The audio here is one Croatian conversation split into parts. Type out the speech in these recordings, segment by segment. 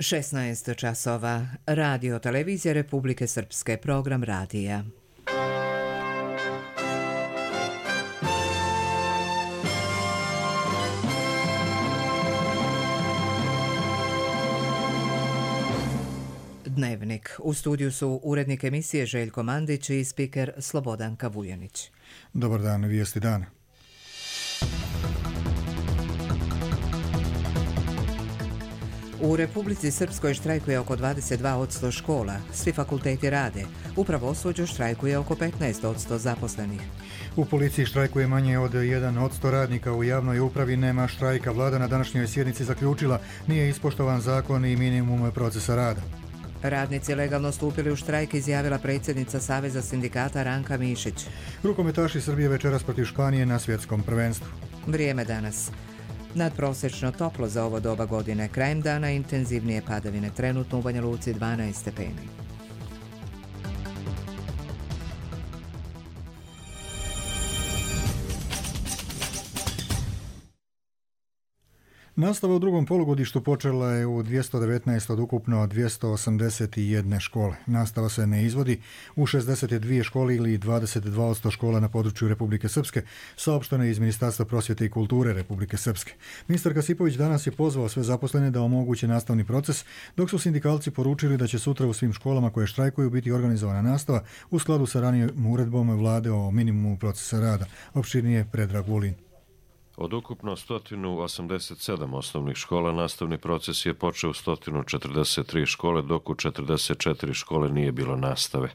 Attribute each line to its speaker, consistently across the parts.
Speaker 1: 16 časova. Radio televizija Republike Srpske, program radija. Dnevnik. U studiju su urednik emisije Željko Mandić i spiker Slobodanka Vujanić.
Speaker 2: Dobar dan, vijesti dana.
Speaker 1: U Republici Srpskoj štrajkuje oko 22% škola. Svi fakulteti rade. U pravosuđu štrajkuje oko 15% zaposlenih.
Speaker 2: U policiji štrajkuje manje od 1% radnika. U javnoj upravi nema štrajka. Vlada na današnjoj sjednici zaključila nije ispoštovan zakon i minimum procesa rada.
Speaker 1: Radnici legalno stupili u štrajk, izjavila predsjednica Saveza sindikata Ranka Mišić.
Speaker 2: Rukometaši Srbije večeras protiv Španije na svjetskom prvenstvu.
Speaker 1: Vrijeme danas. Nadprosečno toplo za ovo doba godine. Krajem dana intenzivnije padavine. Trenutno u Banja Luci 12 stepeni.
Speaker 2: Nastava u drugom polugodištu počela je u 219 od ukupno 281 škole. Nastava se ne izvodi u 62 škole ili 22% škola na području Republike Srpske, saopšteno je iz Ministarstva prosvjete i kulture Republike Srpske. Ministar Kasipović danas je pozvao sve zaposlene da omoguće nastavni proces, dok su sindikalci poručili da će sutra u svim školama koje štrajkuju biti organizovana nastava u skladu sa ranijom uredbom Vlade o minimumu procesa rada. Opširnije Predrag Vulin.
Speaker 3: Od ukupno 187 osnovnih škola nastavni proces je počeo u 143 škole, dok u 44 škole nije bilo nastave.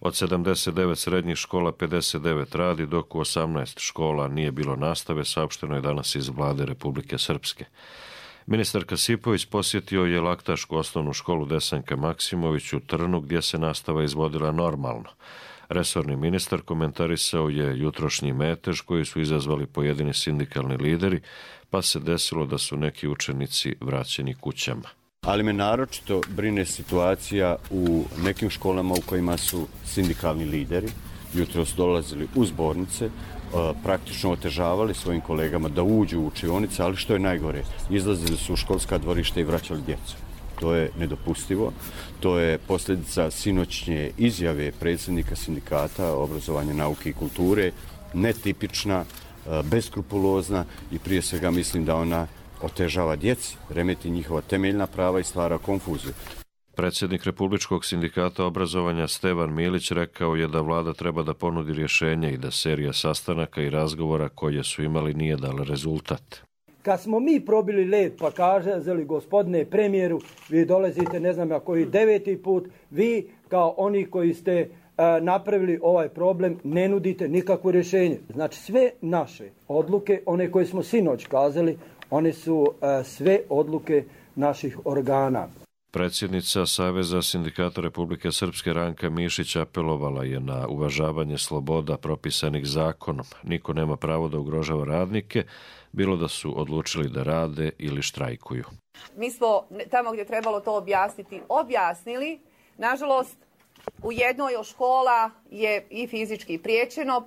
Speaker 3: Od 79 srednjih škola 59 radi, dok u 18 škola nije bilo nastave, saopšteno je danas iz Vlade Republike Srpske. Ministar Kasipović posjetio je Laktašku osnovnu školu Desanka Maksimović u Trnu, gdje se nastava izvodila normalno. Resorni ministar komentarisao je jutrošnji metež koji su izazvali pojedini sindikalni lideri, pa se desilo da su neki učenici vraćeni kućama.
Speaker 4: Ali me naročito brine situacija u nekim školama u kojima su sindikalni lideri jutros dolazili u zbornice, praktično otežavali svojim kolegama da uđu u učionice, ali što je najgore, izlazili su u školska dvorišta i vraćali djecu. To je nedopustivo. To je posljedica sinoćnje izjave predsjednika sindikata obrazovanja, nauke i kulture, netipična, beskrupulozna i prije svega mislim da ona otežava djeci, remeti njihova temeljna prava i stvara konfuziju.
Speaker 3: Predsjednik Republičkog sindikata obrazovanja Stevan Milić rekao je da vlada treba da ponudi rješenje i da serija sastanaka i razgovora koje su imali nije dala rezultat.
Speaker 5: Kad smo mi probili led pa kaželi gospodine premijeru, vi dolazite ne znam na koji 9. put, vi kao oni koji ste napravili ovaj problem ne nudite nikakvo rješenje. Znači sve naše odluke, one koje smo sinoć kazali, one su sve odluke naših organa.
Speaker 3: Predsjednica Saveza sindikata Republike Srpske Ranka Mišić apelovala je na uvažavanje sloboda propisanih zakonom. Niko nema pravo da ugrožava radnike, bilo da su odlučili da rade ili štrajkuju.
Speaker 6: Mi smo tamo gdje trebalo to objasnili. Nažalost, u jednoj od škola je i fizički priječeno,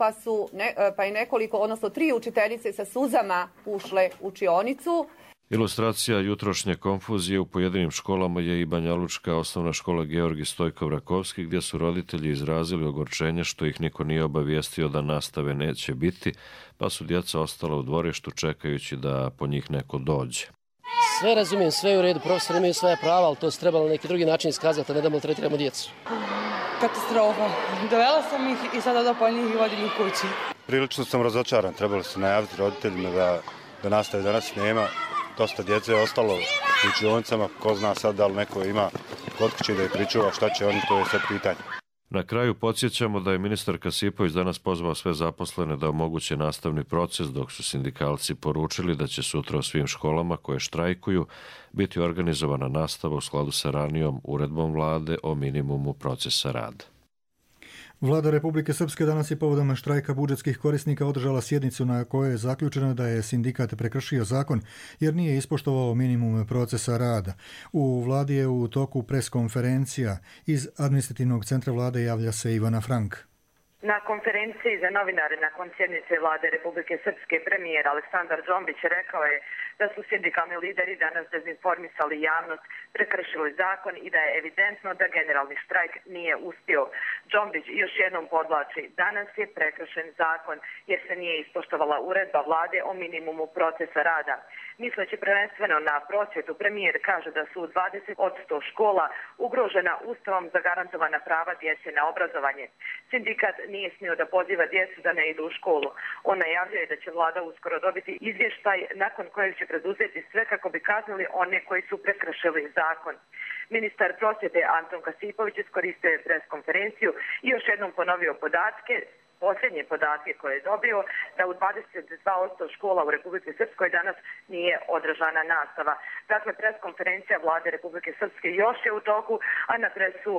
Speaker 6: pa je nekoliko, odnosno 3 učiteljice sa suzama ušle u učionicu.
Speaker 3: Ilustracija jutrošnje konfuzije u pojedinim školama je i banjalučka osnovna škola Georgi Stojkov Rakovski, gdje su roditelji izrazili ogorčenje što ih niko nije obavijestio da nastave neće biti, pa su djeca ostala u dvorištu čekajući da po njih neko dođe.
Speaker 7: Sve razumijem, sve je u redu, profesori imaju svoje prava, ali to se trebalo na neki drugi način iskazati, a ne da maltretiramo djecu.
Speaker 8: Katastrofa. Dovela sam ih i sada da po njih i vodim ih kući.
Speaker 9: Prilično sam razočaran, trebalo se najaviti roditeljima da nastave danas nema. Dosta djece je ostalo u učionicama, ko zna sad da li neko ima kod kuće da je pričuva, šta će oni, to je sad pitanje.
Speaker 3: Na kraju podsjećamo da je ministar Kasipović danas pozvao sve zaposlene da omoguće nastavni proces, dok su sindikalci poručili da će sutra u svim školama koje štrajkuju biti organizovana nastava u skladu sa ranijom uredbom vlade o minimumu procesa rada.
Speaker 2: Vlada Republike Srpske danas je povodom štrajka budžetskih korisnika održala sjednicu na kojoj je zaključeno da je sindikat prekršio zakon jer nije ispoštovao minimum procesa rada. U vladi je u toku preskonferencija. Iz administrativnog centra vlade javlja se Ivana Frank.
Speaker 10: Na konferenciji za novinare nakon sjednice vlade Republike Srpske premijer Aleksandar Džombić rekao je da su sindikalni lideri danas dezinformisali javnost, prekršili zakon i da je evidentno da generalni štrajk nije uspio. Džombić još jednom podvlači, danas je prekršen zakon jer se nije ispoštovala uredba vlade o minimumu procesa rada. Misleći prvenstveno na prosvjetu, premijer kaže da su 20 od 100 škola ugrožena Ustavom zagarantovana prava djece na obrazovanje. Sindikat nije smio da poziva djecu da ne idu u školu. On najavljuje da će vlada uskoro dobiti izvještaj nakon kojeg će preduzeti sve kako bi kaznili one koji su prekršili zakon. Ministar prosvjete Anton Kasipović iskoristio je preskonferenciju i još jednom ponovio posljednje podatke koje je dobio, da u 22% škola u Republike Srpskoj danas nije održana nastava. Dakle, preskonferencija vlade Republike Srpske još je u toku, a na presu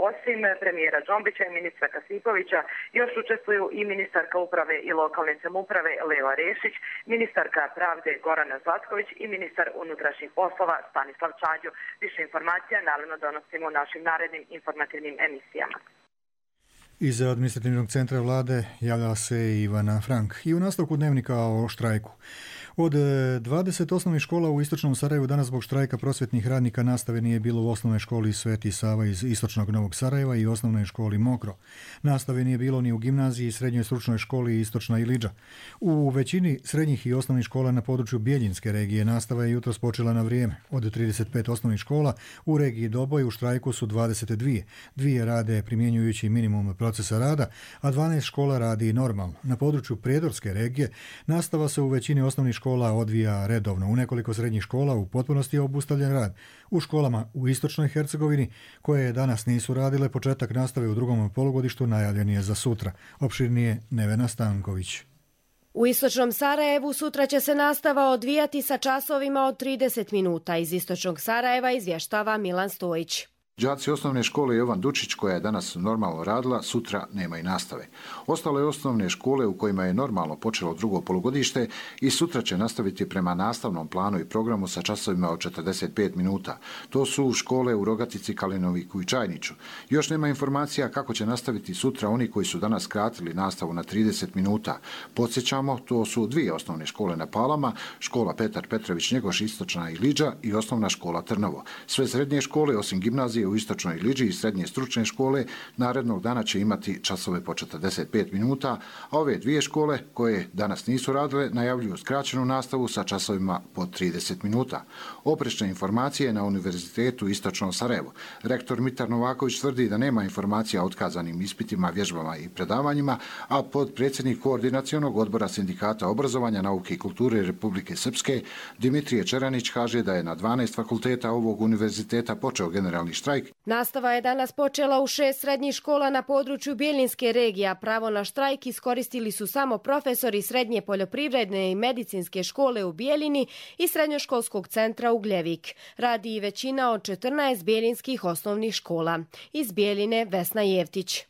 Speaker 10: osim premijera Džombića i ministra Kasipovića još učestvuju i ministarka uprave i lokalne samouprave Leo Rešić, ministarka pravde Gorana Zlatković i ministar unutrašnjih poslova Stanislav Čađo. Više informacija naravno donosimo u našim narednim informativnim emisijama.
Speaker 2: Iz administrativnog centra vlade javlja se Ivana Frank. I u nastavku dnevnika o štrajku. Od 20 osnovnih škola u istočnom Sarajevu danas zbog štrajka prosvjetnih radnika nastave nije bilo u osnovnoj školi Sveti Sava iz istočnog Novog Sarajeva i osnovnoj školi Mokro. Nastave nije bilo ni u gimnaziji i srednjoj stručnoj školi Istočna Ilidža. U većini srednjih i osnovnih škola na području Bijeljinske regije nastava je jutros počela na vrijeme. Od 35 osnovnih škola u regiji Doboj u štrajku su 22. Dvije rade primjenjujući minimum procesa rada, a 12 škola radi normalno. Na području Prijedorske regije nastava se u većini osnovnih škola odvija redovno. U nekoliko srednjih škola u potpunosti je obustavljen rad. U školama u istočnoj Hercegovini, koje danas nisu radile, početak nastave u drugom polugodištu najavljen je za sutra. Opširnije Nevena Stanković.
Speaker 11: U istočnom Sarajevu sutra će se nastava odvijati sa časovima od 30 minuta. Iz istočnog Sarajeva izvještava Milan Stojić.
Speaker 12: Đaci osnovne škole Jovan Dučić, koja je danas normalno radila, sutra nema i nastave. Ostale osnovne škole u kojima je normalno počelo drugo polugodište i sutra će nastaviti prema nastavnom planu i programu sa časovima od 45 minuta. To su škole u Rogatici, Kalinoviku i Čajniću. Još nema informacija kako će nastaviti sutra oni koji su danas skratili nastavu na 30 minuta. Podsjećamo, to su dvije osnovne škole na Palama, škola Petar Petrović Njegoš, Istočna Ilidža i osnovna škola Trnovo. Sve srednje škole, osim gimnazije u Istočnoj Ilidži i srednje stručne škole, narednog dana će imati časove po 45 minuta, a ove dvije škole koje danas nisu radile najavljuju skraćenu nastavu sa časovima po 30 minuta. Oprečne informacije na Univerzitetu Istočno Sarajevo. Rektor Mitar Novaković tvrdi da nema informacija o otkazanim ispitima, vježbama i predavanjima, a potpredsjednik Koordinacionog odbora Sindikata obrazovanja, nauke i kulture Republike Srpske Dimitrije Čeranić kaže da je na 12 fakulteta ovog univerziteta počeo generalni štrajk.
Speaker 11: Nastava je danas počela u 6 srednjih škola na području Bijeljinske regije, a pravo na štrajk iskoristili su samo profesori Srednje poljoprivredne i medicinske škole u Bijeljini i Srednjoškolskog centra Ugljevik. Radi i većina od 14 bijeljinskih osnovnih škola. Iz Bijeljine Vesna Jevtić.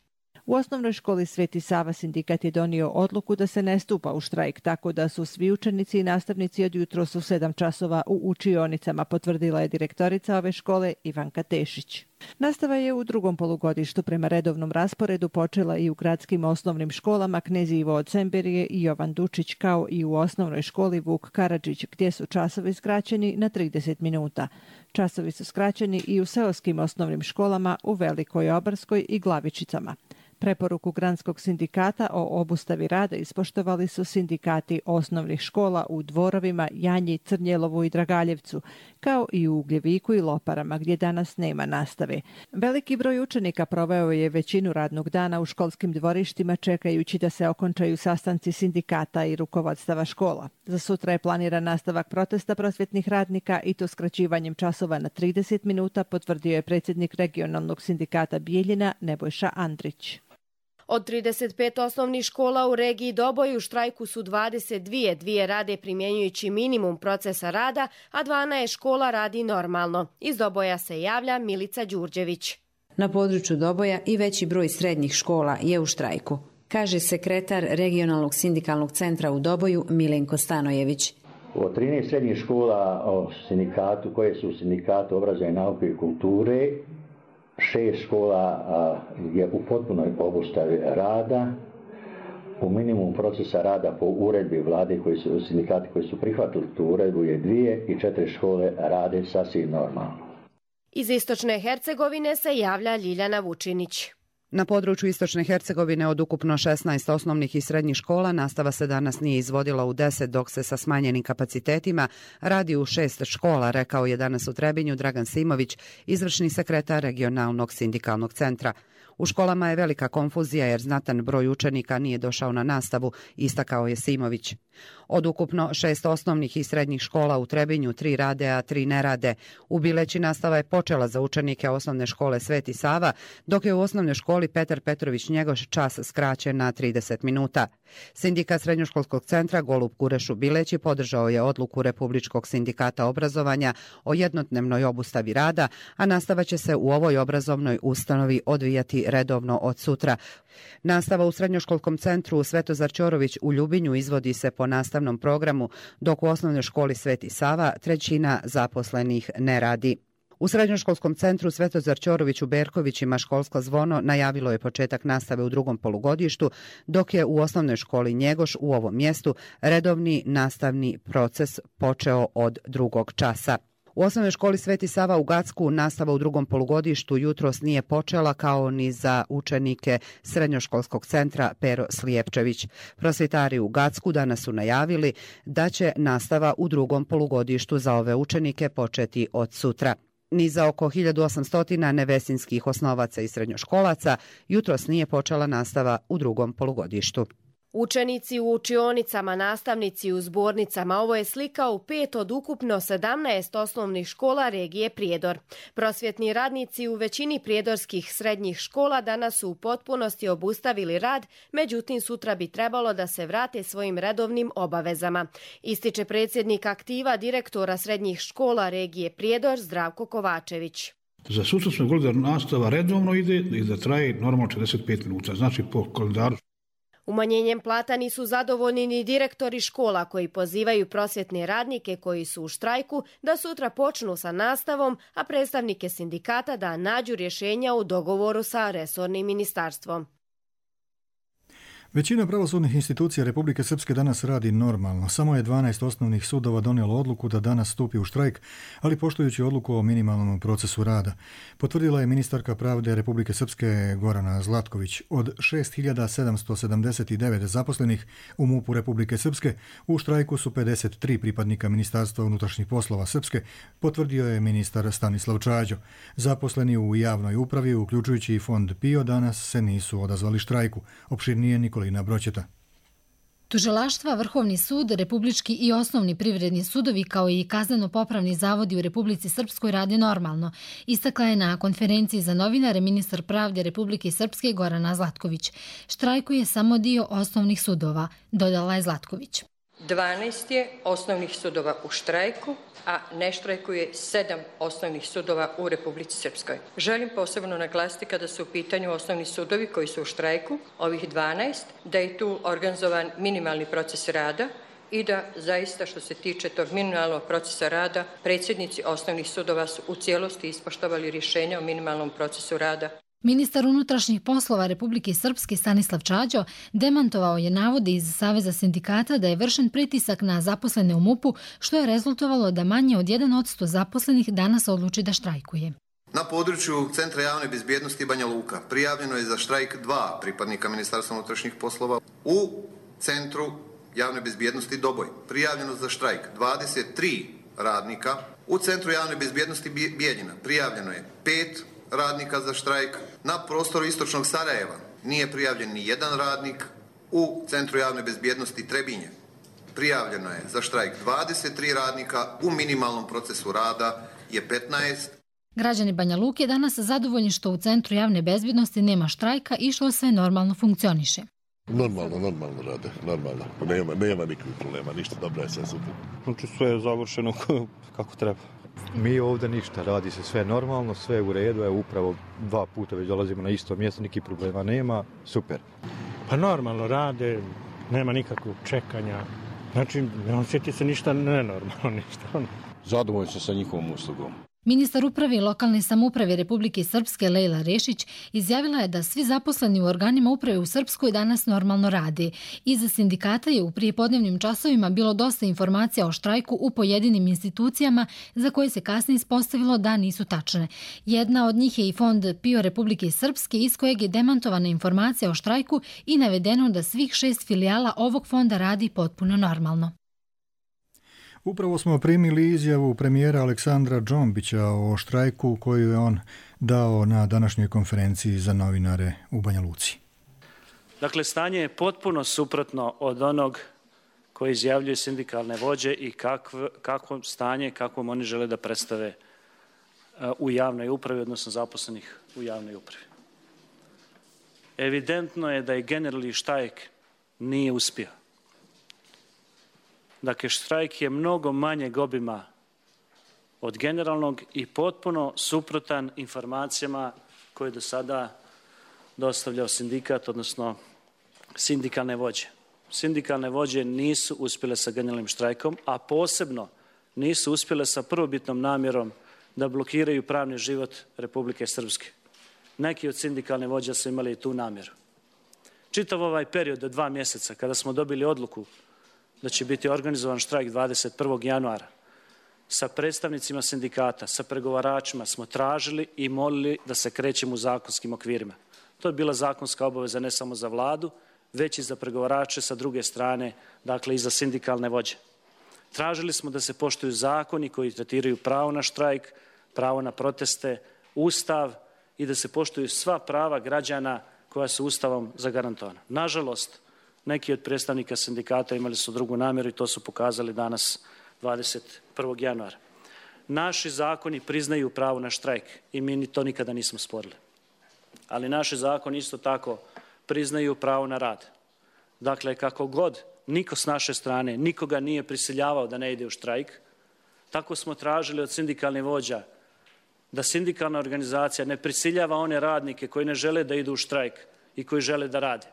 Speaker 13: U osnovnoj školi Sveti Sava sindikat je donio odluku da se ne stupa u štrajk, tako da su svi učenici i nastavnici od jutros u 7 časova u učionicama, potvrdila je direktorica ove škole Ivanka Tešić. Nastava je u drugom polugodištu prema redovnom rasporedu počela i u gradskim osnovnim školama Knez Ivo od Semberije i Jovan Dučić, kao i u osnovnoj školi Vuk Karadžić, gdje su časovi skraćeni na 30 minuta. Časovi su skraćeni i u seoskim osnovnim školama u Velikoj Obarskoj i Glavičicama. Preporuku Granskog sindikata o obustavi rada ispoštovali su sindikati osnovnih škola u Dvorovima, Janji, Crnjelovu i Dragaljevcu, kao i u Ugljeviku i Loparama, gdje danas nema nastave. Veliki broj učenika proveo je većinu radnog dana u školskim dvorištima čekajući da se okončaju sastanci sindikata i rukovodstava škola. Za sutra je planiran nastavak protesta prosvjetnih radnika i to skraćivanjem časova na 30 minuta, potvrdio je predsjednik regionalnog sindikata Bijeljina Nebojša Andrić.
Speaker 11: Od 35 osnovnih škola u regiji Doboj u štrajku su 22, dvije rade primjenjujući minimum procesa rada, a 12 škola radi normalno. Iz Doboja se javlja Milica Đurđević.
Speaker 14: Na području Doboja i veći broj srednjih škola je u štrajku, kaže sekretar regionalnog sindikalnog centra u Doboju Milenko Stanojević.
Speaker 15: Od 13 srednjih škola sindikatu, koje su u sindikatu obrazovanja, nauke i kulture, 6 škola je u potpunoj obustavi rada, U minimumu procesa rada po uredbi vlade sindikati koji su prihvatili tu uredbu je 2 i 4 škole rade sasvim normalno.
Speaker 11: Iz Istočne Hercegovine se javlja Ljiljana Vučinić.
Speaker 16: Na području Istočne Hercegovine od ukupno 16 osnovnih i srednjih škola nastava se danas nije izvodila u 10, dok se sa smanjenim kapacitetima radi u 6 škola, rekao je danas u Trebinju Dragan Simović, izvršni sekretar regionalnog sindikalnog centra. U školama je velika konfuzija jer znatan broj učenika nije došao na nastavu, istakao je Simović. Od ukupno 6 osnovnih i srednjih škola u Trebinju 3 rade, a 3 ne rade. U Bileći nastava je počela za učenike osnovne škole Sveti Sava, dok je u osnovnoj školi Petar Petrović Njegoš čas skraćen na 30 minuta. Sindikat srednjoškolskog centra Golub Kureš u Bileći podržao je odluku Republičkog sindikata obrazovanja o jednodnevnoj obustavi rada, a nastava će se u ovoj obrazovnoj ustanovi odvijati redovno od sutra. Nastava u srednjoškolskom centru Svetozar Ćorović u Ljubinju izvodi se po nastavnom programu, dok u osnovnoj školi Sveti Sava 1/3 zaposlenih ne radi. U srednjoškolskom centru Svetozar Ćorović u Berkovićima školsko zvono najavilo je početak nastave u drugom polugodištu, dok je u osnovnoj školi Njegoš u ovom mjestu redovni nastavni proces počeo od 2. časa. U osnovnoj školi Sveti Sava u Gacku nastava u drugom polugodištu jutros nije počela, kao ni za učenike srednjoškolskog centra Pero Slijepčević. Prosvjetari u Gacku danas su najavili da će nastava u drugom polugodištu za ove učenike početi od sutra. Ni za oko 1800 nevesinskih osnovaca i srednjoškolaca jutros nije počela nastava u drugom polugodištu.
Speaker 11: Učenici u učionicama, nastavnici u zbornicama, ovo je slika u 5 od ukupno 17 osnovnih škola regije Prijedor. Prosvjetni radnici u većini prijedorskih srednjih škola danas su u potpunosti obustavili rad, međutim sutra bi trebalo da se vrate svojim redovnim obavezama. Ističe predsjednik aktiva direktora srednjih škola regije Prijedor Zdravko Kovačević.
Speaker 17: Za sutra smo govorili da nastava redovno ide i da traje normalno 45 minuta, znači po kalendaru.
Speaker 11: Umanjenjem plata nisu zadovoljni ni direktori škola koji pozivaju prosvjetne radnike koji su u štrajku da sutra počnu sa nastavom, a predstavnike sindikata da nađu rješenja u dogovoru sa resornim ministarstvom.
Speaker 2: Većina pravosudnih institucija Republike Srpske danas radi normalno. Samo je 12 osnovnih sudova donijelo odluku da danas stupi u štrajk, ali poštujući odluku o minimalnom procesu rada. Potvrdila je ministarka pravde Republike Srpske Gorana Zlatković. Od 6.779 zaposlenih u MUP-u Republike Srpske u štrajku su 53 pripadnika Ministarstva unutrašnjih poslova Srpske, potvrdio je ministar Stanislav Čađo. Zaposleni u javnoj upravi, uključujući i fond PIO, danas se nisu odazvali štrajku. Opširnije Nikolina Broćeta.
Speaker 18: Tužilaštva, Vrhovni sud, republički i osnovni privredni sudovi kao i kazneno-popravni zavodi u Republici Srpskoj rade normalno, istakla je na konferenciji za novinare ministar pravde Republike Srpske Gorana Zlatković. Štrajkuje samo dio osnovnih sudova, dodala je Zlatković.
Speaker 19: 12 je osnovnih sudova u štrajku, a ne štrajkuje 7 osnovnih sudova u Republici Srpskoj. Želim posebno naglasiti kada su u pitanju osnovni sudovi koji su u štrajku, ovih 12, da je tu organizovan minimalni proces rada i da zaista što se tiče tog minimalnog procesa rada, predsjednici osnovnih sudova su u cijelosti ispoštovali rješenja o minimalnom procesu rada.
Speaker 18: Ministar unutrašnjih poslova Republike Srpske Stanislav Čađo demantovao je navode iz Saveza sindikata da je vršen pritisak na zaposlene u MUP-u, što je rezultovalo da manje od 1% zaposlenih danas odluči da štrajkuje.
Speaker 20: Na području Centra javne bezbjednosti Banja Luka prijavljeno je za štrajk 2 pripadnika Ministarstva unutrašnjih poslova. U Centru javne bezbjednosti Doboj prijavljeno za štrajk 23 radnika. U Centru javne bezbjednosti Bijeljina prijavljeno je 5 radnika za štrajk. Na prostoru istočnog Sarajeva nije prijavljen ni jedan radnik. U Centru javne bezbjednosti Trebinje prijavljeno je za štrajk 23 radnika, u minimalnom procesu rada je 15.
Speaker 18: Građani Banja Luke danas zadovoljni što u Centru javne bezbjednosti nema štrajka i što sve normalno funkcioniše.
Speaker 21: Normalno rade, normalno. Nema nikakvih problema, ništa, dobro je sve super.
Speaker 22: Znači sve je završeno kako treba.
Speaker 23: Mi ovdje ništa, radi se sve normalno, sve u redu, evo upravo 2 puta već dolazimo na isto mjesto, nikih problema nema, super.
Speaker 22: Pa normalno rade, nema nikakvog čekanja, znači ne osjeti se ništa nenormalno, ništa.
Speaker 21: Zadovoljni se sa njihovom uslugom.
Speaker 18: Ministar uprave i lokalne samouprave Republike Srpske Lejla Rešić izjavila je da svi zaposleni u organima uprave u Srpskoj danas normalno rade. Iza sindikata je u prijepodnevnim časovima bilo dosta informacija o štrajku u pojedinim institucijama za koje se kasnije ispostavilo da nisu tačne. Jedna od njih je i Fond PIO Republike Srpske iz kojeg je demantovana informacija o štrajku i navedeno da svih 6 filijala ovog fonda radi potpuno normalno.
Speaker 2: Upravo smo primili izjavu premijera Aleksandra Džombića o štrajku koju je on dao na današnjoj konferenciji za novinare u Banja Luci.
Speaker 1: Dakle, stanje je potpuno suprotno od onog koji izjavljuje sindikalne vođe i kakvo stanje, kakvom oni žele da predstave u javnoj upravi, odnosno zaposlenih u javnoj upravi. Evidentno je da je generalni štrajk nije uspio. Dakle, štrajk je mnogo manjeg obima od generalnog i potpuno suprotan informacijama koje je do sada dostavljao sindikat, odnosno sindikalne vođe. Sindikalne vođe nisu uspjele sa generalnim štrajkom, a posebno nisu uspjele sa prvobitnom namjerom da blokiraju pravni život Republike Srpske. Neki od sindikalne vođa su imali i tu namjeru. Čitav ovaj period od 2 mjeseca, kada smo dobili odluku da će biti organizovan štrajk 21. januara, sa predstavnicima sindikata, sa pregovaračima smo tražili i molili da se krećemo u zakonskim okvirima. To je bila zakonska obaveza ne samo za vladu, već i za pregovarače sa druge strane, dakle i za sindikalne vođe. Tražili smo da se poštuju zakoni koji tretiraju pravo na štrajk, pravo na proteste, ustav i da se poštuju sva prava građana koja su ustavom zagarantovana. Nažalost, neki od predstavnika sindikata imali su drugu namjeru i to su pokazali danas 21. januara. Naši zakoni priznaju pravo na štrajk i mi to nikada nismo sporili. Ali naši zakoni isto tako priznaju pravo na rad. Dakle, kako god niko s naše strane nikoga nije prisiljavao da ne ide u štrajk, tako smo tražili od sindikalnih vođa da sindikalna organizacija ne prisiljava one radnike koji ne žele da idu u štrajk i koji žele da rade.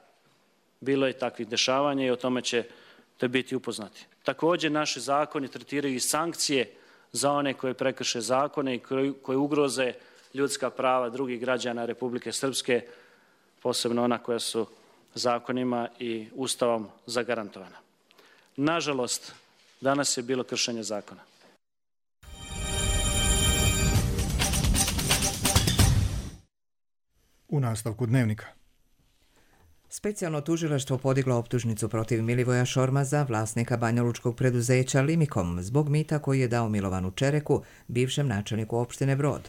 Speaker 1: Bilo je takvih dešavanja i o tome ćete biti upoznati. Također, naši zakoni tretiraju i sankcije za one koje prekrše zakone i koje ugroze ljudska prava drugih građana Republike Srpske, posebno ona koja su zakonima i ustavom zagarantovana. Nažalost, danas je bilo kršenje zakona.
Speaker 2: U nastavku dnevnika.
Speaker 4: Specijalno tužilaštvo podiglo optužnicu protiv Milivoja Šormaza, vlasnika banjalučkog preduzeća Limikom, zbog mita koji je dao Milovanu Čereku, bivšem načelniku opštine Brod.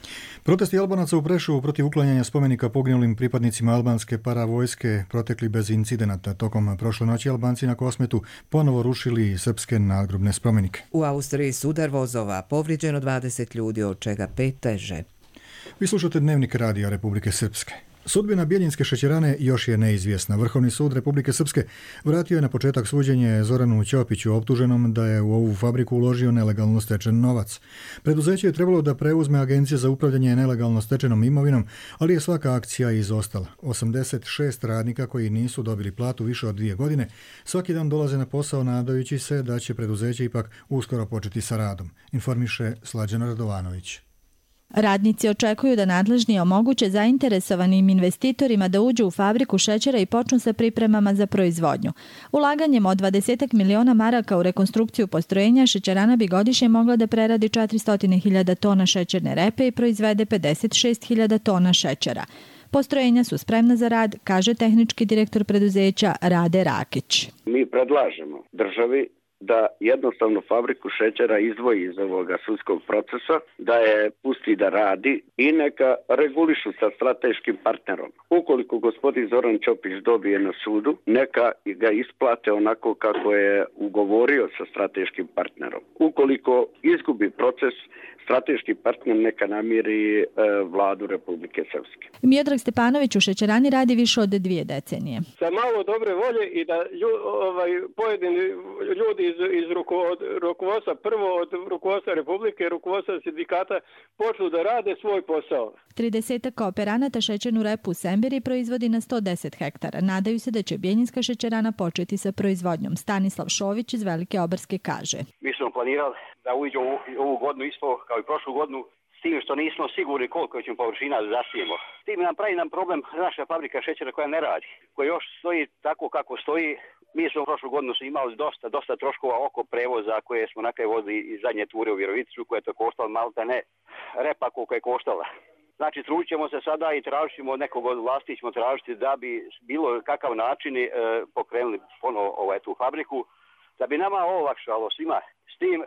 Speaker 2: Protesti Albanaca u Preševu protiv uklanjanja spomenika poginulim pripadnicima albanske paravojske protekli bez incidenata. Tokom prošle noći Albanci na Kosmetu ponovo rušili srpske nadgrobne spomenike.
Speaker 4: U Austriji su udar vozova, povrijeđeno 20 ljudi, od čega 5 teže.
Speaker 2: Vi slušate Dnevnik Radija Republike Srpske. Sudbina Bjeljinske šećerane još je neizvjesna. Vrhovni sud Republike Srpske vratio je na početak suđenje Zoranu Ćopiću, optuženom da je u ovu fabriku uložio nelegalno stečen novac. Preduzeće je trebalo da preuzme Agencija za upravljanje nelegalno stečenom imovinom, ali je svaka akcija izostala. 86 radnika koji nisu dobili platu više od 2 godine svaki dan dolaze na posao nadajući se da će preduzeće ipak uskoro početi sa radom, informiše Slađana Radovanović.
Speaker 5: Radnici očekuju da nadležni omoguće zainteresovanim investitorima da uđu u fabriku šećera i počnu sa pripremama za proizvodnju. Ulaganjem od 20 miliona maraka u rekonstrukciju postrojenja, šećerana bi godišnje mogla da preradi 400.000 tona šećerne repe i proizvede 56.000 tona šećera. Postrojenja su spremna za rad, kaže tehnički direktor preduzeća Rade Rakić.
Speaker 24: Mi predlažemo državi da jednostavno fabriku šećera izdvoji iz ovoga sudskog procesa, da je pusti da radi i neka regulišu sa strateškim partnerom. Ukoliko gospodin Zoran Ćopić dobije na sudu, neka ga isplate onako kako je ugovorio sa strateškim partnerom. Ukoliko izgubi proces, strateški partner neka namiri vladu Republike Srpske.
Speaker 5: Miodrag Stepanović u šećerani radi više od 2 decenije.
Speaker 25: Sa malo dobre volje i da pojedini ljudi iz rukovodstva, prvo od rukovodstva Republike, rukovodstva sindikata, počnu da rade svoj posao.
Speaker 5: 30 kooperanata šećernu repu u Sembiri proizvodi na 110 hektara. Nadaju se da će Bjeljinska šećerana početi sa proizvodnjom. Stanislav Šović iz Velike Obarske kaže.
Speaker 26: Mi smo planirali da uđe ovu godinu isto kao i prošlu godinu
Speaker 3: s tim što nismo sigurni koliko ćemo površina zasijemo. S tim nam pravi problem naša fabrika šećera koja ne radi, koja još stoji tako kako stoji. Mi smo prošlu godinu imali dosta troškova oko prevoza koje smo na kraju vozili iz zadnje ture u Virovicu, koja je to koštala malta ne repa koliko je koštala. Znači, trudit ćemo se sada i tražit ćemo od nekog od vlasti ćemo tražiti da bi bilo kakav način pokrenuli ponovo tu fabriku, da bi nama olakšalo svima. S tim,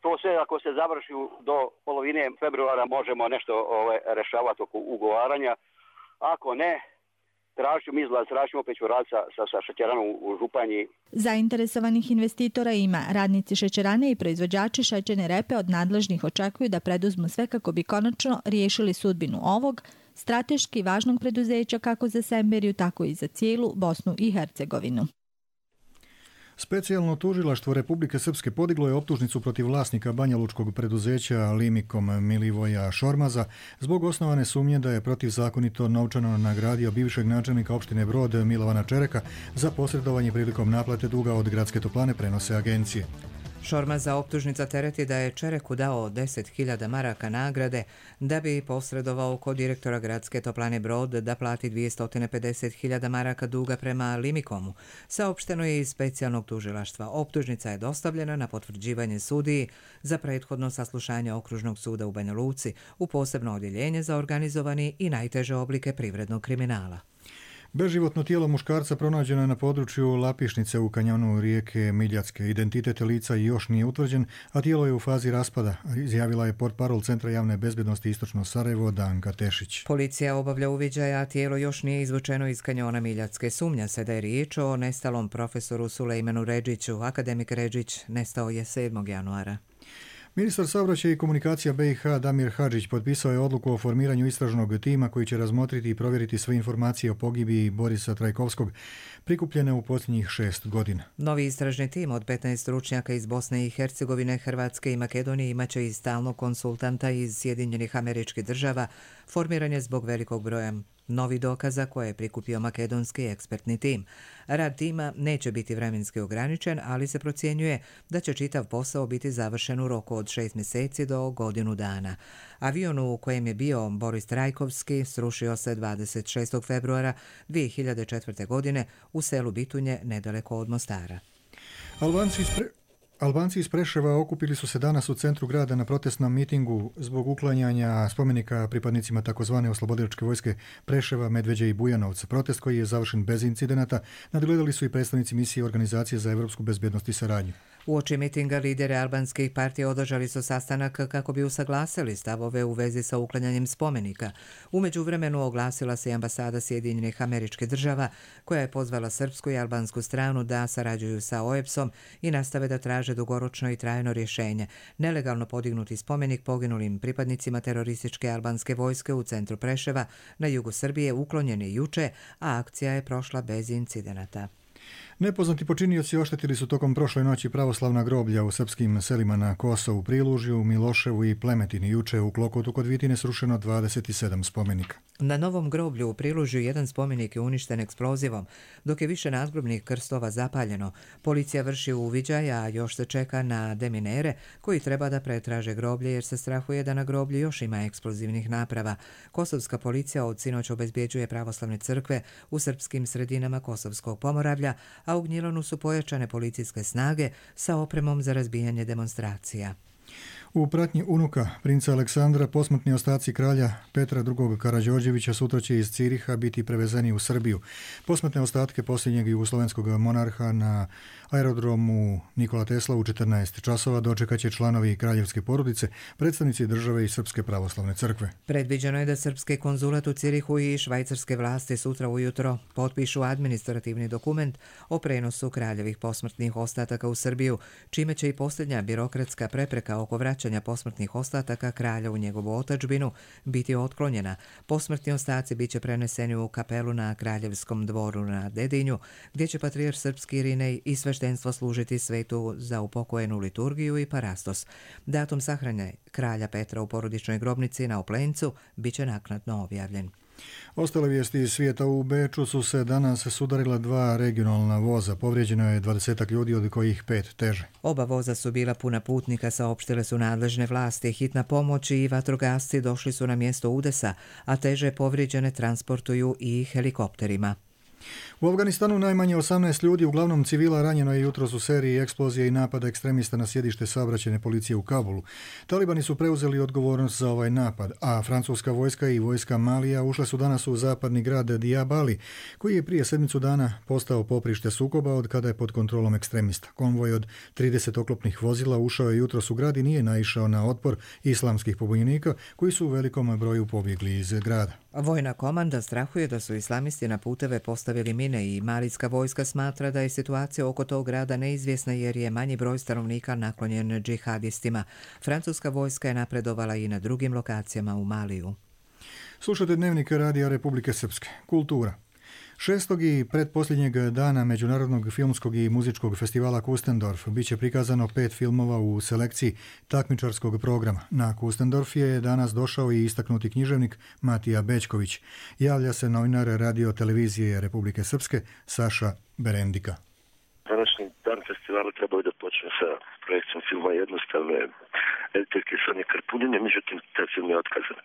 Speaker 3: to sve ako se završi do polovine februara možemo nešto rešavati oko ugovaranja. Ako ne, tražimo izlaz, tražimo opet ću raditi sa šećeranom u Županji.
Speaker 5: Zainteresovanih investitora ima. Radnici šećerane i proizvođači šećerne repe od nadležnih očekuju da preduzmu sve kako bi konačno riješili sudbinu ovog strateški važnog preduzeća kako za Semberiju, tako i za cijelu Bosnu i Hercegovinu.
Speaker 2: Specijalno tužilaštvo Republike Srpske podiglo je optužnicu protiv vlasnika banjalučkog preduzeća Limikom Milivoja Šormaza zbog osnovane sumnje da je protivzakonito novčano nagradio bivšeg načelnika opštine Brod Milovana Čereka za posredovanje prilikom naplate duga od Gradske toplane, prenose agencije.
Speaker 4: Šormaza optužnica tereti da je Čereku dao 10.000 maraka nagrade da bi posredovao kod direktora Gradske toplane Brod da plati 250.000 maraka duga prema Limikomu. Saopšteno je iz specijalnog tužilaštva. Optužnica je dostavljena na potvrđivanje sudiji za prethodno saslušanje Okružnog suda u Banja Luci u posebno odjeljenje za organizovani i najteže oblike privrednog kriminala.
Speaker 2: Beživotno tijelo muškarca pronađeno je na području Lapišnice u kanjonu rijeke Miljacke. Identitet lica još nije utvrđen, a tijelo je u fazi raspada, izjavila je portparol Centra javne bezbjednosti Istočno Sarajevo Danka Tešić.
Speaker 4: Policija obavlja uviđaja, a tijelo još nije izvučeno iz kanjona Miljacke. Sumnja se da je riječ o nestalom profesoru Sulejmanu Redžiću. Akademik Redžić nestao je 7. januara.
Speaker 2: Ministar saobraćaja i komunikacija BiH Damir Hadžić potpisao je odluku o formiranju istražnog tima koji će razmotriti i provjeriti sve informacije o pogibiji Borisa Trajkovskog prikupljene u posljednjih 6 godina.
Speaker 4: Novi istražni tim od 15 stručnjaka iz Bosne i Hercegovine, Hrvatske i Makedonije imaće i stalnog konsultanta iz Sjedinjenih Američkih Država. Formiran je zbog velikog broja novih dokaza koje je prikupio makedonski ekspertni tim. Rad tima neće biti vremenski ograničen, ali se procjenjuje da će čitav posao biti završen u roku od 6 mjeseci do godinu dana. Avion u kojem je bio Boris Trajkovski srušio se 26. februara 2004. godine u selu Bitunje, nedaleko od Mostara.
Speaker 2: Albanci iz Preševa okupili su se danas u centru grada na protestnom mitingu zbog uklanjanja spomenika pripadnicima takozvane oslobodilačke vojske Preševa, Medveđe i Bujanovca. Protest koji je završen bez incidenata nadgledali su i predstavnici misije Organizacije za evropsku bezbjednost i saradnju.
Speaker 4: Uoči mitinga lideri albanskih partija održali su sastanak kako bi usaglasili stavove u vezi sa uklanjanjem spomenika. U međuvremenu oglasila se i ambasada Sjedinjenih Američkih Država koja je pozvala srpsku i albansku stranu da sarađuju sa OEBS-om i nastave da traže dugoročno i trajno rješenje. Nelegalno podignuti spomenik poginulim pripadnicima terorističke albanske vojske u centru Preševa na jugu Srbije uklonjen je juče, a akcija je prošla bez incidenata.
Speaker 2: Nepoznati počinioci oštetili su tokom prošle noći pravoslavna groblja u srpskim selima na Kosovu, Prilužju, Miloševu i Plemetini. Juče u Klokotu kod Vitine srušeno 27 spomenika.
Speaker 4: Na novom groblju u Prilužju jedan spomenik je uništen eksplozivom, dok je više nadgrobnih krstova zapaljeno. Policija vrši uviđaj, a još se čeka na deminere koji treba da pretraže groblje jer se strahuje da na groblju još ima eksplozivnih naprava. Kosovska policija od sinoć obezbjeđuje pravoslavne crkve u srpskim sredinama Kosovskog Pomoravlja, a u Gnjilanu su pojačane policijske snage sa opremom za razbijanje demonstracija.
Speaker 2: U pratnji unuka princa Aleksandra posmrtni ostaci kralja Petra II. Karađorđevića sutra će iz Ciriha biti prevezeni u Srbiju. Posmrtne ostatke posljednjeg jugoslovenskog monarha na aerodromu Nikola Tesla u 14 časova dočekat će članovi kraljevske porodice, predstavnici države i Srpske pravoslavne crkve.
Speaker 4: Predviđeno je da srpski konzulat u Cirihu i švajcarske vlasti sutra ujutro potpišu administrativni dokument o prenosu kraljevih posmrtnih ostataka u Srbiju, čime će i posljednja birokratska prepreka oko vraćanja posmrtnih ostataka kralja u njegovu otadžbinu biti otklonjena. Posmrtni ostaci biće preneseni u kapelu na Kraljevskom dvoru na Dedinju, gdje će patrijarh srpski Irinej i sveštenstvo služiti svetu za upokojenu liturgiju i parastos. Datum sahrane kralja Petra u porodičnoj grobnici na Oplencu biće naknadno objavljen.
Speaker 2: Ostale vijesti iz svijeta. U Beču su se danas sudarila 2 regionalna voza. Povrijeđeno je 20 ljudi, od kojih 5 teže.
Speaker 4: Oba voza su bila puna putnika, saopštile su nadležne vlasti. Hitna pomoć i vatrogasci došli su na mjesto udesa, a teže povrijeđene transportuju i helikopterima.
Speaker 2: U Afganistanu najmanje 18 ljudi, uglavnom civila, ranjeno je jutros u seriji eksplozije i napada ekstremista na sjedište saobraćajne policije u Kabulu. Talibani su preuzeli odgovornost za ovaj napad, a francuska vojska i vojska Malija ušle su danas u zapadni grad Diabali, koji je prije sedmicu dana postao poprište sukoba od kada je pod kontrolom ekstremista. Konvoj od 30 oklopnih vozila ušao je jutros u grad i nije naišao na otpor islamskih pobunjenika, koji su u velikom broju pobjegli iz grada.
Speaker 4: Vojna komanda strahuje da su islamisti na puteve postavili mine i malijska vojska smatra da je situacija oko tog grada neizvjesna jer je manji broj stanovnika naklonjen džihadistima. Francuska vojska je napredovala i na drugim lokacijama u Maliju.
Speaker 2: Slušate Dnevnik Radija Republike Srpske. Kultura. 6. i pretposljednjeg dana Međunarodnog filmskog i muzičkog festivala Kustendorf bit će prikazano 5 filmova u selekciji takmičarskog programa. Na Kustendorf je danas došao i istaknuti književnik Matija Bećković. Javlja se novinar Radio televizije Republike Srpske Saša Berendika.
Speaker 6: Današnji dan festivala trebao je da počne sa projekcijom filma Jednostavne editerke Sonje Karpunjenje, međutim, taj film je otkazan.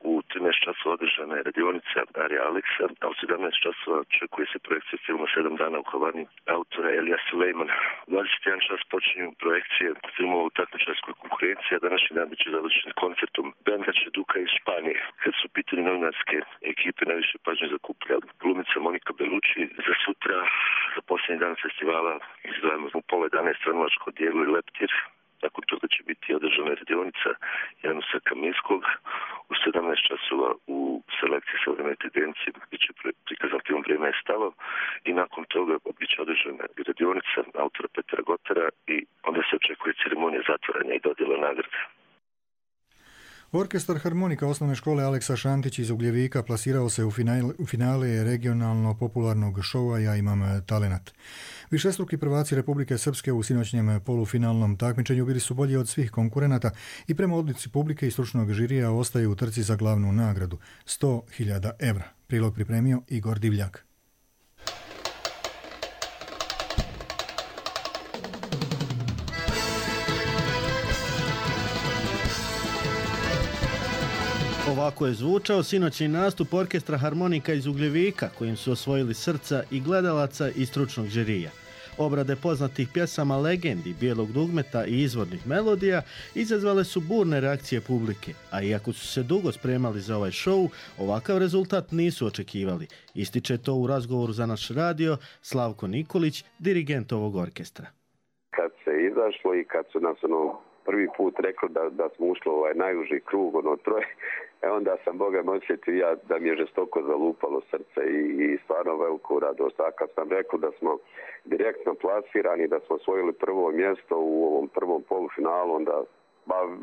Speaker 6: U 13 časova održana je radionica Arija Aleksa, a u 17 časova očekuje se projekcija filma 7 dana u Havani autora Elija Sulejmana. U 21 čas počinju projekcije filmova u takmičarskoj konkurenciji, a današnji dan biće završen koncertom benda Čeduka iz Španije. Kad su u pitanju novinarske ekipe, najviše pažnje zakuplja glumica Monika Belucci. Za sutra, za posljednji dan festivala, izdvajamo u 10:30 stvaralačko dijelo i leptir. Nakon toga će biti održana radionica Janusa Kaminskog. U 17 časova u selekciji savremene tendencije bit će prikazan film Vrijeme je stalo i nakon toga bit će održana radionica autora Petra Gotara i onda se očekuje ceremonija zatvaranja i dodjela nagrade.
Speaker 2: Orkestar harmonika osnovne škole Aleksa Šantić iz Ugljevika plasirao se u finale regionalno popularnog šova Ja imam talenat. Višestruki prvaci Republike Srpske u sinoćnjem polufinalnom takmičenju bili su bolji od svih konkurenata i prema odluci publike i stručnog žirija ostaju u trci za glavnu nagradu 100.000 evra. Prilog pripremio Igor Divljak.
Speaker 7: Ovako je zvučao sinoćni nastup orkestra harmonika iz Ugljevika, kojim su osvojili srca i gledalaca i stručnog žirija. Obrade poznatih pjesama legendi, bijelog dugmeta i izvornih melodija izazvale su burne reakcije publike, a iako su se dugo spremali za ovaj šou, ovakav rezultat nisu očekivali. Ističe to u razgovoru za naš radio Slavko Nikolić, dirigent ovog orkestra.
Speaker 24: Kad se izašlo i kad su nas prvi put rekli da smo ušli u ovaj najuži krug, troje, onda sam Boga osjetio da mi je žestoko zalupalo srce i stvarno veliku radost. A kad sam rekao da smo direktno plasirani, da smo osvojili prvo mjesto u ovom prvom polufinalu, onda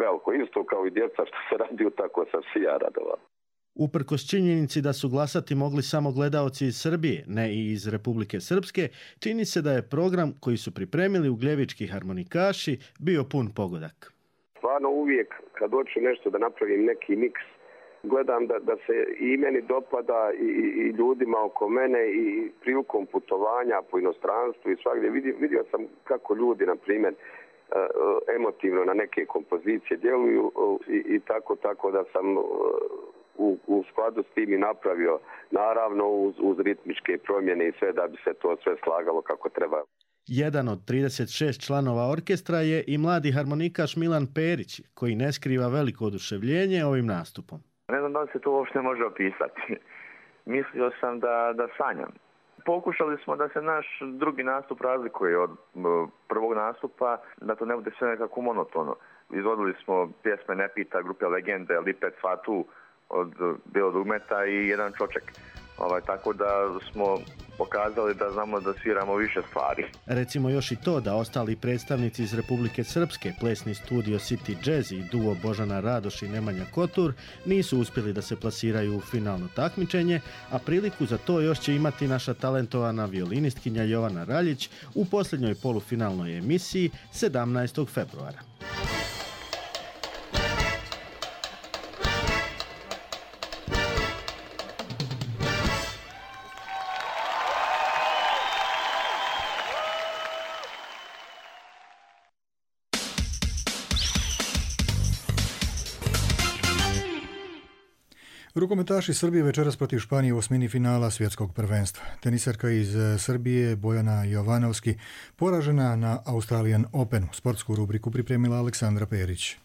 Speaker 24: veliko isto kao i djeca što se radio, tako sam se ja radovao.
Speaker 7: Uprkos činjenici da su glasati mogli samo gledaoci iz Srbije, ne i iz Republike Srpske, čini se da je program koji su pripremili ugljevički harmonikaši bio pun pogodak.
Speaker 24: Stvarno uvijek kad hoću nešto da napravim neki miks, gledam da se i meni dopada i ljudima oko mene i prilikom putovanja po inostranstvu i svakdje. Vidio sam kako ljudi, na primjer, emotivno na neke kompozicije djeluju i tako da sam u skladu s tim i napravio, naravno uz ritmičke promjene i sve da bi se to sve slagalo kako treba.
Speaker 7: Jedan od 36 članova orkestra je i mladi harmonikaš Milan Perić, koji ne skriva veliko oduševljenje ovim nastupom.
Speaker 8: Ne znam da li se to uopšte može opisati. Mislio sam da sanjam. Pokušali smo da se naš drugi nastup razlikuje od prvog nastupa, da to ne bude sve nekako monotono. Izvodili smo pjesme Ne pita, grupe Legende, Lipet, Fatu od Bijelog dugmeta i Jedan čoček. Tako da smo pokazali da znamo da sviramo više stvari.
Speaker 7: Recimo još i to da ostali predstavnici iz Republike Srpske, plesni studio City Jazz i duo Božana Radoš i Nemanja Kotur nisu uspjeli da se plasiraju u finalno takmičenje, a priliku za to još će imati naša talentovana violinistkinja Jovana Raljić u posljednjoj polufinalnoj emisiji 17. februara.
Speaker 2: Rukometaši Srbije večeras protiv Španije u osmini finala svjetskog prvenstva. Tenisarka iz Srbije Bojana Jovanovski poražena na Australian Openu. Sportsku rubriku pripremila Aleksandra Perić.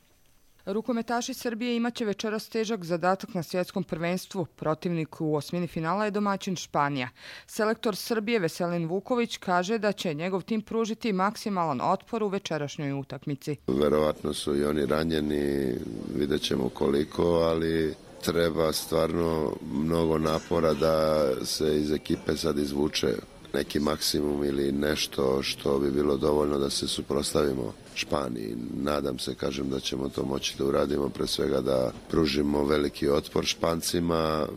Speaker 9: Rukometaši Srbije imaće večeras težak zadatak na svjetskom prvenstvu. Protivnik u osmini finala je domaćin Španija. Selektor Srbije Veselin Vuković kaže da će njegov tim pružiti maksimalan otpor u večerašnjoj utakmici.
Speaker 10: Verovatno su i oni ranjeni, vidjet ćemo koliko, ali treba stvarno mnogo napora da se iz ekipe sad izvuče neki maksimum ili nešto što bi bilo dovoljno da se suprotstavimo Španiji. Nadam se, kažem, da ćemo to moći da uradimo, pre svega da pružimo veliki otpor Špancima.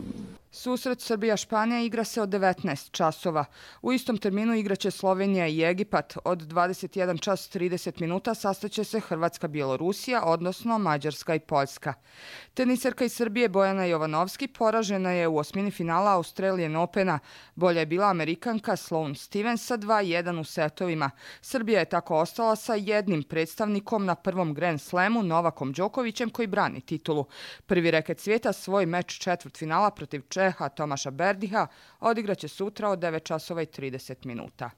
Speaker 9: Susret Srbija-Španija igra se od 19 časova. U istom terminu igraće Slovenija i Egipat. Od 21 čas 30 minuta sastaće se Hrvatska-Bjelorusija, odnosno Mađarska i Poljska. Tenisarka iz Srbije Bojana Jovanovski poražena je u osmini finala Australian Opena. Bolja je bila Amerikanka Sloane Stevens sa 2-1 u setovima. Srbija je tako ostala sa jednim predstavnikom na prvom Grand Slamu, Novakom Đokovićem, koji brani titulu. Prvi reket svijeta svoj meč četvrtfinala protiv Čeha Tomaša Berdiha odigraće sutra od 9 časova i 30 minuta.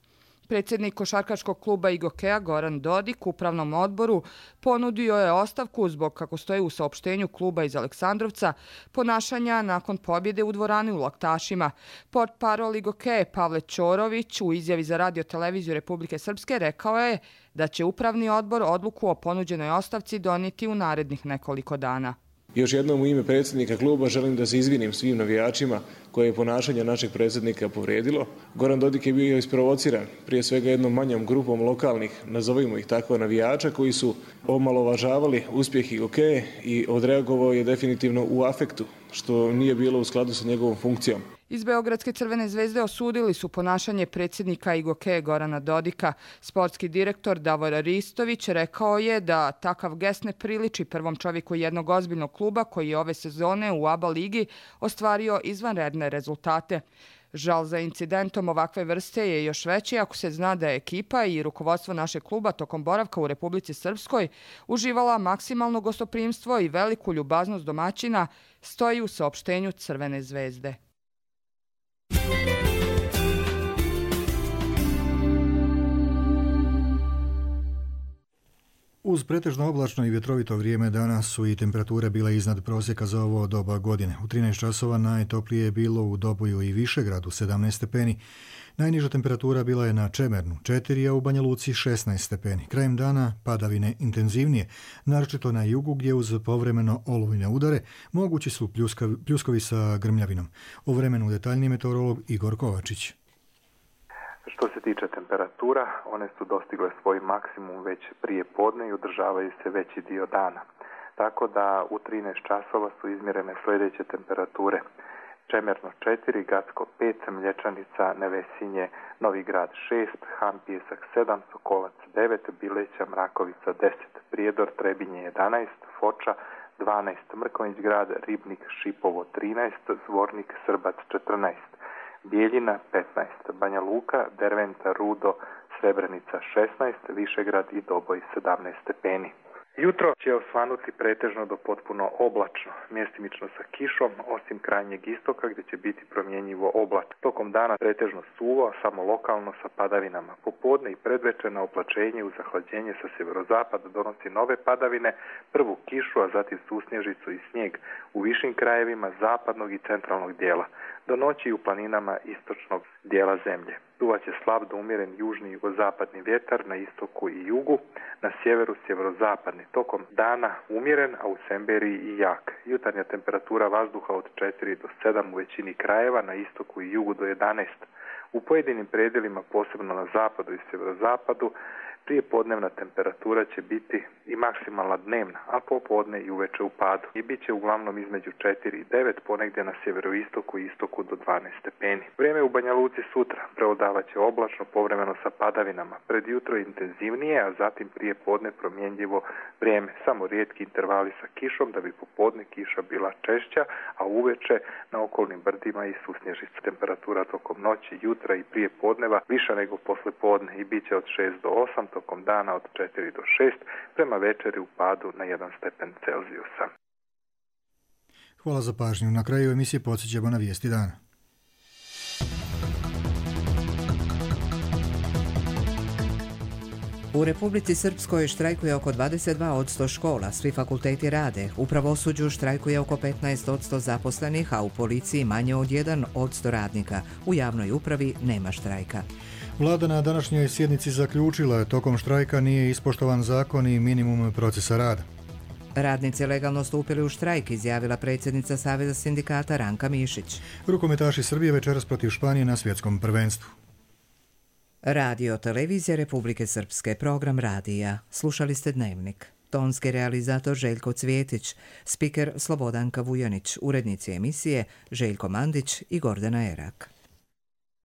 Speaker 9: Predsjednik košarkaškog kluba Igokeja Goran Dodik upravnom odboru ponudio je ostavku zbog, kako stoji u saopštenju kluba iz Aleksandrovca, ponašanja nakon pobjede u dvorani u Laktašima. Portparol Igokeje Pavle Ćorović u izjavi za Radio-televiziju Republike Srpske rekao je da će upravni odbor odluku o ponuđenoj ostavci donijeti u narednih nekoliko dana.
Speaker 12: Još jednom u ime predsjednika kluba želim da se izvinim svim navijačima koje je ponašanje našeg predsjednika povrijedilo. Goran Dodik je bio isprovociran prije svega jednom manjom grupom lokalnih, nazovimo ih tako, navijača koji su omalovažavali uspjeh Igokeje i odreagovao je definitivno u afektu, što nije bilo u skladu sa njegovom funkcijom.
Speaker 9: Iz Beogradske Crvene zvezde osudili su ponašanje predsjednika Igokeje Gorana Dodika. Sportski direktor Davor Ristović rekao je da takav gest ne priliči prvom čovjeku jednog ozbiljnog kluba koji je ove sezone u ABA ligi ostvario izvanredne rezultate. Žal za incidentom ovakve vrste je još veći ako se zna da je ekipa i rukovodstvo našeg kluba tokom boravka u Republici Srpskoj uživala maksimalno gostoprimstvo i veliku ljubaznost domaćina, stoji u saopštenju Crvene zvezde.
Speaker 2: Uz pretežno oblačno i vjetrovito vrijeme danas su i temperature bile iznad prosjeka za ovo doba godine. U 13 časova najtoplije je bilo u Doboju i Višegradu 17 stepeni. Najniža temperatura bila je na Čemernu 4, a u Banja Luci 16 stepeni. Krajem dana padavine intenzivnije, naročito na jugu gdje uz povremeno olujne udare mogući su pljuskovi sa grmljavinom. O vremenu detaljniji meteorolog Igor Kovačić.
Speaker 13: Što se tiče temperatura, one su dostigle svoj maksimum već prije podne i održavaju se veći dio dana. Tako da u 13 časova su izmjerene sljedeće temperature. Čemerno 4, Gacko 5, Mlječanica, Nevesinje, Novi Grad 6, Han Pijesak 7, Sokolac 9, Bileća, Mrakovica 10, Prijedor, Trebinje 11, Foča 12, Mrkonjić Grad, Ribnik, Šipovo 13, Zvornik, Srbac 14, Bijeljina 15, Banja Luka, Derventa, Rudo, Srebrenica 16, Višegrad i Doboj 17 stepeni. Jutro će osvanuti pretežno do potpuno oblačno, mjestimično sa kišom, osim krajnjeg istoka gdje će biti promjenjivo oblačno. Tokom dana pretežno suvo, samo lokalno sa padavinama. Popodne i predvečer na oplačenje uz zahlađenje sa sjeverozapada donosi nove padavine, prvu kišu, a zatim susnježicu i snijeg u višim krajevima zapadnog i centralnog dijela. Do noći u planinama istočnog dijela zemlje. Duvaće slab do umjeren južni i jugozapadni vjetar na istoku i jugu, na sjeveru sjeverozapadni. Tokom dana umjeren, a u Semberiji i jak. Jutarnja temperatura vazduha od 4 do 7 u većini krajeva, na istoku i jugu do 11. U pojedinim predjelima, posebno na zapadu i sjeverozapadu, prije podnevna temperatura će biti i maksimalna dnevna, a popodne i uveče u padu. I bit će uglavnom između 4 i 9, ponegdje na sjeveroistoku i istoku do 12 stepeni. Vrijeme u Banja Luci sutra preodavat će oblačno, povremeno sa padavinama. Pred jutro intenzivnije, a zatim prije podne promjenjivo vrijeme. Samo rijetki intervali sa kišom, da bi popodne kiša bila češća, a uveče na okolnim brdima i susnježica. Temperatura tokom noći, jutra i prije podneva viša nego posle podne i bit će od 6 do 8, tokom dana od 4 do 6, prema večeri u padu na 1 stepen Celzijusa.
Speaker 2: Hvala za pažnju. Na kraju emisije podsjećamo na vijesti dana.
Speaker 4: U Republici Srpskoj štrajkuje oko 22% škola, svi fakulteti rade. U pravosuđu štrajkuje oko 15% zaposlenih, a u policiji manje od 1% radnika. U javnoj upravi nema štrajka.
Speaker 2: Vlada na današnjoj sjednici zaključila tokom štrajka nije ispoštovan zakon i minimum procesa rada.
Speaker 4: Radnici legalno stupili u štrajk, izjavila predsjednica Saveza sindikata Ranka Mišić.
Speaker 2: Rukometaši Srbije večeras protiv Španije na svjetskom prvenstvu.
Speaker 4: Radio Televizija Republike Srpske, program radija. Slušali ste Dnevnik. Tonski realizator Željko Cvjetić, spiker Slobodanka Vujanić, urednici emisije Željko Mandić i Gordana Erak.